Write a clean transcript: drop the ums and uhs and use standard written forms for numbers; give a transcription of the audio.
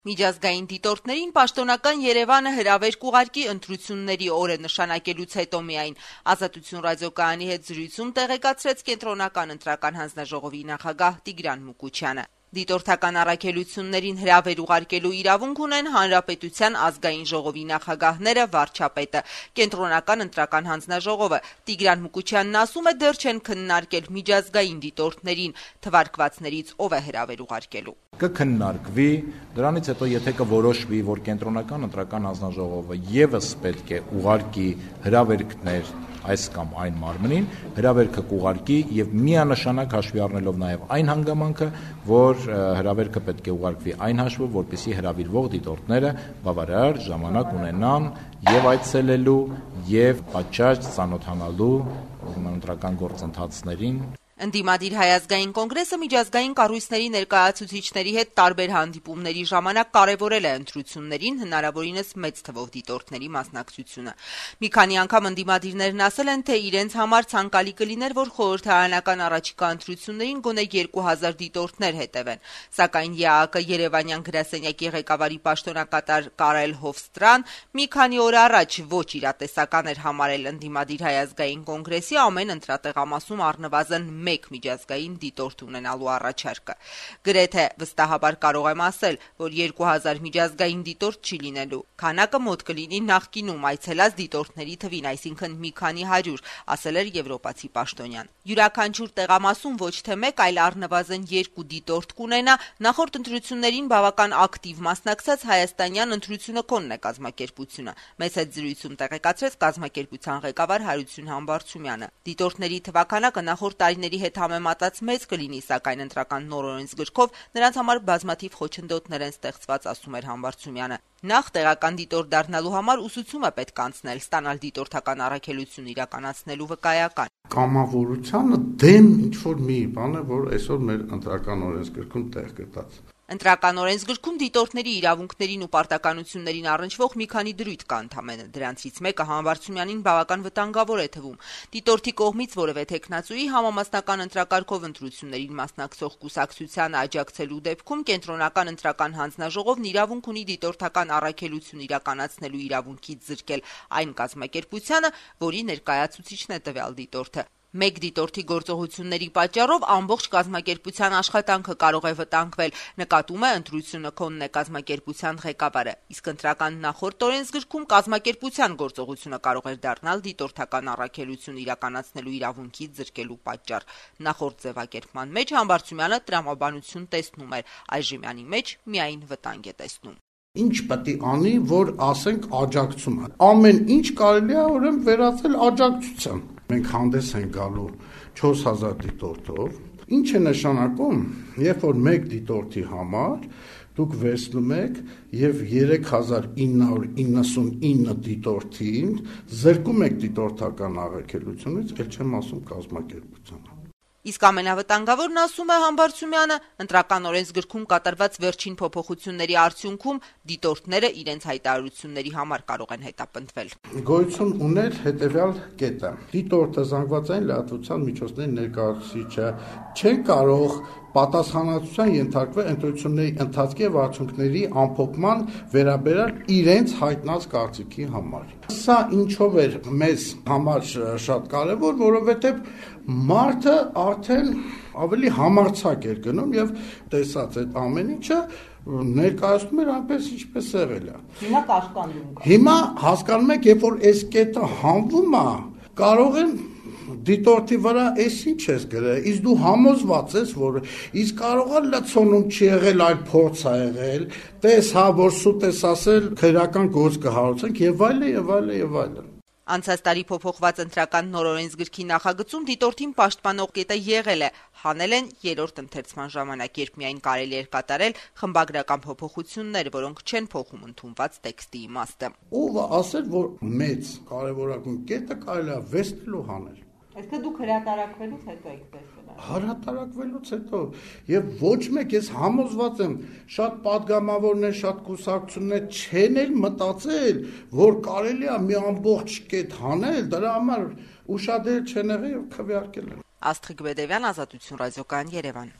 Միջազգային դիտորդներին պաշտոնական Երևանը հրավեր կուղարկի ընտրությունների օրը նշանակելուց հետո միայն, Ազատություն ռադիոկայանի հետ զրույցում տեղեկացրեց Կենտրոնական ընտրական հանձնաժողովի նախագահ Տիգրան Մուկուչյանը։ Դիտորդական առաքելություններին հրավեր ուղարկելու իրավունք ունեն Հանրապետության ազգային ժողովի նախագահները, վարչապետը, Կենտրոնական ընտրական հանձնաժողովը։ Տիգրան Մուկուչյանն ասում է, դեռ չեն քննարկել միջազգային դիտորդներին թվարկվածներից ով է հրավեր ուղարկելու։ Կքննարկվի, դրանից հետո եթե կորոշվի, որ Կենտրոնական ընտրական հանձնաժողովը եւս պետք է ուղարկի հրավերքներ այս կամ այն մարմնին, հրավերքը կուղարկի եւ միանշանակ հաշվի առնելով նաեւ այն հանգամանքը, որ հրավերքը պետք է ուղարկվի այն հաշվով, որպեսզի հրավիրվող դիտորդները բավարար ժամանակ ունենան եւ այցելելու եւ պատշաճ ծանոթանալու ընտրական գործընթացներին։ Ընդդիմադիր Հայազգային կոնգրեսը միջազգային կառույցների ներկայացուցիչների հետ տարբեր հանդիպումների ժամանակ կարևորել է ընտրություններին հնարավորինս մեծ թվով դիտորդների մասնակցությունը։ Մի քանի անգամ ընդդիմադիրներն ասել են, թե իրենց համար ցանկալի կլիներ, որ խորհրդարանական առաջիկա ընտրություններին գոնե 2000 դիտորդներ հետևեն, սակայն ԵԱԿ Երևանյան գրասենյակի ղեկավարի պաշտոնակատար Կարել Հովստրան մի քանի օր առաջ ոչ իրատեսական էր համարել ընդդիմադիր Հայազգային կոնգրեսի ամեն ընտրատեղամասում առնվազն մեկ միջազգային դիտորդ ունենալու առաջարկը։ Գրեթե վստահաբար կարող եմ ասել, որ 2000 միջազգային դիտորդ չի լինելու։ Քանակը մոտ կլինի նախկինում այցելած դիտորդների թվին, այսինքն մի քանի 100, ասել էր եվրոպացի պաշտոնյան։ Յուրաքանչյուր տեղամասում ոչ թե մեկ, այլ առնվազն 2 դիտորդ կունենա, նախորդ ընտրություններին բավական ակտիվ մասնակցած հայաստանյան ընտրությունը կոնն է կազմակերպությունը։ Մեծ հետ զրույցում տեղեկացրեց կազմակերպության ղեկավար Հարություն Համբարձումյանը։ Դիտորդների թվականակը նախորդ տարիների հետ համեմատած մեծ կլինի, սակայն ընտրական նոր օրենսգրքով նրանց համար բազմաթիվ խոչընդոտներ են ստեղծված, ասում էր Համբարձումյանը։ Նախ տեղական դիտորդ դառնալու համար ուսուցում է պետք անցնել, ստանալ դիտորդական առաքելություն իրականացնելու վկայական։ Կամավորությանը դեմ ինչ-որ մի բան է, որ այսօր մեր ընտրական օրենսգրքում տեղ գտած։ Ընտրական օրենսգրքում դիտորդների իրավունքներին ու պարտականություններին առնչվող մի քանի դրույթ կա ընդամենը, դրանցից մեկը Համբարձումյանին բավական վտանգավոր է թվում։ Դիտորդի կողմից որևէ թեկնածուի համամասնական ընտրակարգով ընտրություններին մասնակցող կուսակցությանը աջակցելու դեպքում Կենտրոնական ընտրական հանձնաժողովն իրավունք ունի դիտորդական առաքելություն իրականացնելու իրավունքից զրկել այն կազմակերպությանը, որի ներկայացուցիչն է տվյալ դիտորդը։ Մեկ դիտորդի գործողությունների պատճառով ամբողջ կազմակերպության աշխատանքը կարող է վտանգվել, նկատում է ընտրությունը քոնն է կազմակերպության ղեկավարը, իսկ ընտրական նախորդ օրենսգրքում կազմակերպության գործողությունը կարող էր դառնալ դիտորդական առաքելություն իրականացնելու իրավունքից զրկելու պատճառ։ Նախորդ ձևակերպման մեջ Համբարձումյանը տրամաբանություն տեսնում էր, այժմյանի մեջ միայն վտանգ է տեսնում։ Ինչ պետք է անի, որ ասենք աջակցում է։ Ամեն ինչ կարելի է ուրեմն վերածել աջակցության։ Մենք հանդես ենք գալու 4000 դիտորդով, ինչ է նշանակում, երբ որ մեկ դիտորդի համար դուք վերցնում եք եւ 3999 դիտորդին զրկում եք դիտորդական առաքելությունից, ել չեմ ասում կազմակերպությանը։ Իսկ ամենավտանգավորն, ասում է Համբարձումյանը, ընտրական օրենսգրքում կատարված վերջին փոփոխությունների արդյունքում դիտորդները իրենց հայտարարությունների համար կարող են հետապնդվել։ Գոյություն ուներ հետևյալ կետը. դիտորդը զանգվածային լրատվության միջոցների ներկայացուցիչը չեն կարող պատասխանատվության ենթարկվել ընտրությունների ընթացքի եւ արդյունքների ամփոփման վերաբերյալ իրենց հայտնած կարծիքի համար։ Սա ինչով էր մեզ համար շատ կարեւոր, որովհետեւ մարդը արդեն ավելի համարձակ էր գնում եւ տեսած այդ ամեն ինչը ներկայացնում էր այնպես ինչպես եղել է։ Հիմա կաշկանդում կա։ Հիմա հասկանում եք, երբ որ այս կետը հանվում է, կարող են դիտորդի վրա էս ինչ ես գրել, իսկ դու համոզված ես, որ իսկ կարող է լցոնում չի եղել, այլ փորձ է եղել, տես հա, որ սուտ ես ասել, քրեական գործ կհարուցենք եւ այլն եւ այլն եւ այլն։ Անցած տարի փոփոխված ընտրական նոր օրենսգրքի նախագծում դիտորդին պաշտպանող կետը եղել է, հանել են երրորդ ընթերցման ժամանակ, երբ միայն կարելի էր կատարել խմբագրական փոփոխություններ, որոնք չեն փոխում ընդունված տեքստի իմաստը։ Ով ասել, որ մեծ կարևորագույն կետը կարելի է վերցնել ու հանել։ Այսինքն դուք հրատարակվելուց հետո եք տեսել։ Հրատարակվելուց հետո եւ ոչ մեկ ես համոզված եմ, շատ падգամավորներ, շատ կուսակցություններ չեն էլ մտածել, որ կարելի է մի ամբողջ կետ հանել, դրա համար ուշադիր չեն եղել եւ քվեարկել են։ Աստղիկ Բեդևյան, Ազատություն ռադիոկայան, Երևան։